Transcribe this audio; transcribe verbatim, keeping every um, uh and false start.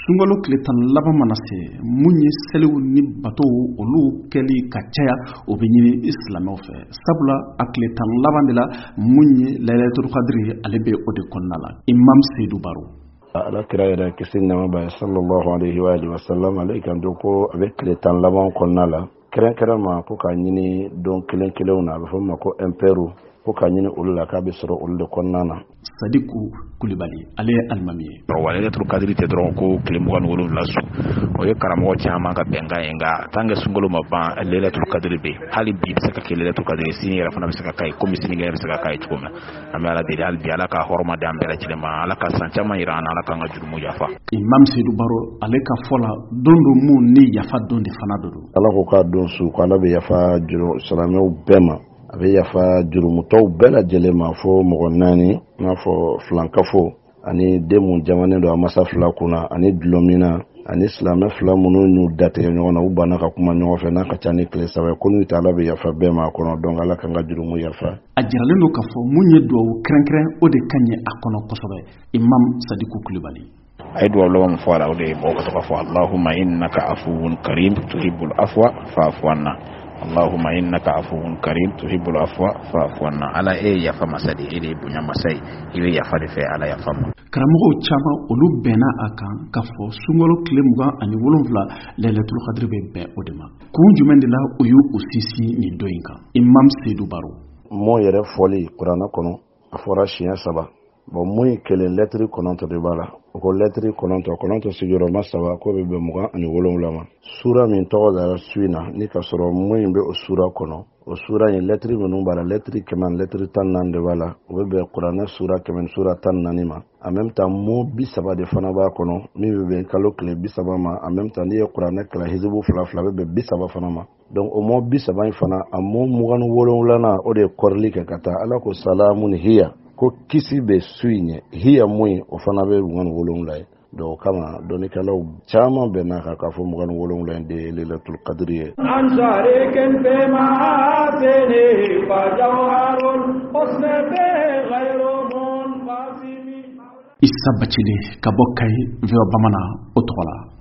Sunkalo tile tan laban mana se, mun ye seliw ni batow olu kɛli ka caya, o bɛ ɲini silamɛw fɛ, sabula a tile tan laban de la, mun ye Laylatul Kadiri, ale bɛ o de kɔnɔna la. Imam Seydou Baro. Ala kira yɛrɛ, kisi nɛɛma b'a ye, sallallahu alaihi wa alihi wa sallam, ale kanto ko a bɛ tile tan laban kɔnɔna la, kɛrɛnkɛrɛn ma ko k'a ɲini don kelen kelenw na, a bɛ fɔ min ma ko impair, ko k'a ɲini olu la, k'a bɛ sɔrɔ olu de kɔnɔna na. Sadiku Kulibali, ale ye alimami ye. Wa Laylatul Kadiri tɛ dɔrɔn ko tile mugan ni wolonwula su, o ye karamɔgɔ caman ka bɛnkan ye. Nka tant que sunkalo ma ban, Laylatul Kadiri bɛ yen. Hali bi bɛ se ka kɛ Laylatul Kadiri, sini yɛrɛ fana bɛ se ka k'a ye, komi sinikɛnɛ bɛ se ka k'a ye cogo min. An bɛ Ala deli hali bi, Ala ka hɔrɔma di an bɛɛ lajɛlen ma, Ala ka san caman yira an na, Ala k'an ka jurumu yafa. Imam Seydou Baro, ale ka fɔ la, don don mun ni yafa don de fana don. Ala ko k'a don su ko Ala bɛ yafa juru silamɛw bɛɛ ma, a bɛ yafa jurumutɔw bɛɛ lajɛlen ma fo mɔgɔ naani, i n'a fɔ filankafo ani den mun jamanen don a masa fila kunna, ani dulɔminna, ani silamɛ fila minnu y'u datigɛ ɲɔgɔn na, u banna ka kuma ɲɔgɔn fɛ n'a ka ca ni tile saba ye, ko n'u tɛ, Ala bɛ yafa bɛɛ ma a kɔnɔ. Donc Ala k'an ka jurumu yafa. A jiralen don k'a fɔ mun ye duwawu kɛrɛnkɛrɛn, o de ka ɲi a kɔnɔ kosɛbɛ. Imam Sadiku Kulibali. A ye duwawu laban min fɔ a la, o de ye mɔgɔ ka to k'a fɔ: Allahumma innaka afuwun karim tuhibbul afwa fa'fu anna, Allahumma innaka afuwun karim tuhibbul afwa fa'fu anna. Ala, e ye yafa masa de ye, e de ye bonya masa ye, i bɛ yafa de fɛ, Ala, yafa ma. Karamɔgɔw caman, olu bɛnna a kan k'a fɔ sunkalo tile mugan ani wolonwula, Laylatul Kadiri bɛ bɛn o de ma. Kun jumɛn de la o y'u o sinsin nin don in kan? Imam Seydou Baro. Mɔ yɛrɛ fɔli kuranɛ kɔnɔ, a fɔra siɲɛ saba. Bon, mun ye kelen, lɛtiri kɔnɔntɔ de b'a la. O ko lɛtiri kɔnɔntɔ, kɔnɔntɔ sigiyɔrɔma saba, k'o bɛ bɛn mugan ani wolonwula ma. Sura min tɔgɔ dara su in na, ni ka sɔrɔ mun in bɛ o sura kɔnɔ, o sura in lɛtiri minnu b'a la, lɛtiri kɛmɛ ani lɛtiri tan naani de b'a la, o bɛ bɛn kuranɛ sura kɛmɛ ni sura tan naani ma. En même temps, mot bi saba de fana b'a kɔnɔ, min bɛ bɛn kalo tile bi saba ma. En même temps, n'i ye kuranɛ kila hizibu fila fila, a bɛ bɛn bi saba fana ma. Donc o mot bi saba in fana, a mot mugan ni wolonwulanan, o de ye kɔrili kɛ ka taa. Ala ko salamun hiya, ko kisi bɛ su in ye. Hiya mun ye, o fana bɛ mugan ni wolonwula ye. Donc o kama dɔnnikɛlaw caman bɛnna kan k'a fɔ mugan ni wolonwula in de ye Lailatul Qadri ye. عن شريك في محاسنه فجوهر الحسن غير منقسم. Isa Bacile ka bɔ Kayi, V O A Bamanan, o tɔgɔ la.